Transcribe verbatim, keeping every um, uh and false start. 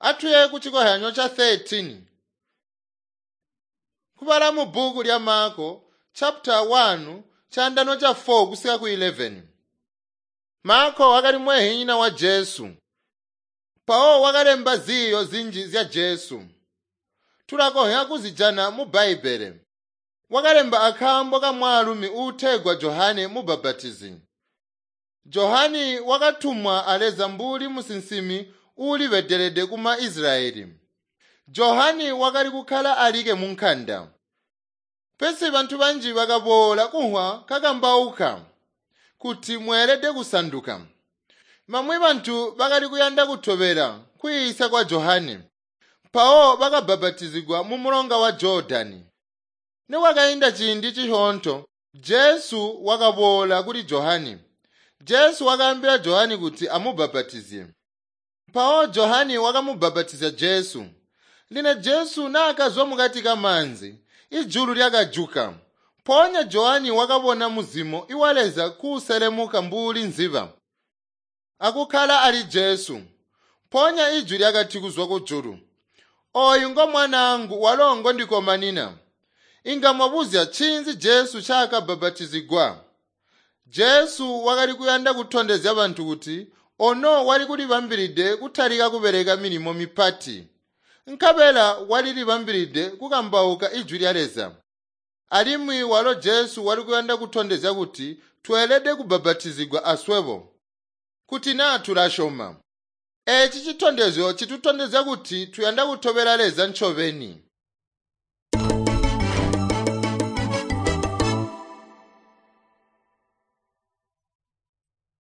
Atuye ku chikohyanyo cha thirteen. Kubala mu bhuku lya Marko chapter one chandano cha four kusika ku eleven. Marko wakali mwehinyina wa Jesu. Pawo wakalemba ziyo zinji zya Jesu. Tulakonha kuzijana mu Bhaibhele. Wakalemba akaambo ka mwaalumi uutegwa Johane Mubhabhatizi. Johane wakatumwa a Leza mbuli musinsimi uulibedelede kuma Israyeli. Johane wakali kukkala alike mu nkanda. Pesi bantu banji bakaboola kunhwa kakambauka kuti mweelede kusanduka. Bamwi bantu bakali kuyanda kutobela kwiisya kwa Johane, mpawo bakabhabhatizigwa mu mulonga wa Jodani. Nikwakainda ciindi cisyoonto, Jesu wakaboola kuli Johane. Jesu wakaambila Johane kuti amubhabhatizye. Mpawo Johane wakamubhabhatizya Jesu. Lino Jesu naakazwa mukati kamaanzi, ijulu lyakajuka. Mpoonya Johane wakabona muzimo iwa Leza kuuselemuka mbuli nziba, akukkala ali Jesu. Mpoonya ijwi lyakati kuzwa kujulu, "Ooyu ngo mwanaangu walo ngondikomanina." Inga mwabuzya ncinzi Jesu ncaakabhabhatizigwa. Jesu wakali kuyanda kutondezya bantu kuti ono wali kulibambilide kutalika kubeleka milimo mipati, nkabela walilibambilide kukambauka ijwi lya Leza. Alimwi walo Jesu wali kuyanda kutondezya kuti tweelede kubhabhatizigwa aswebo, kuti naa tulasyoma. Eeci citondezyo citutondezya kuti tuyanda kutobela Leza ncobeni.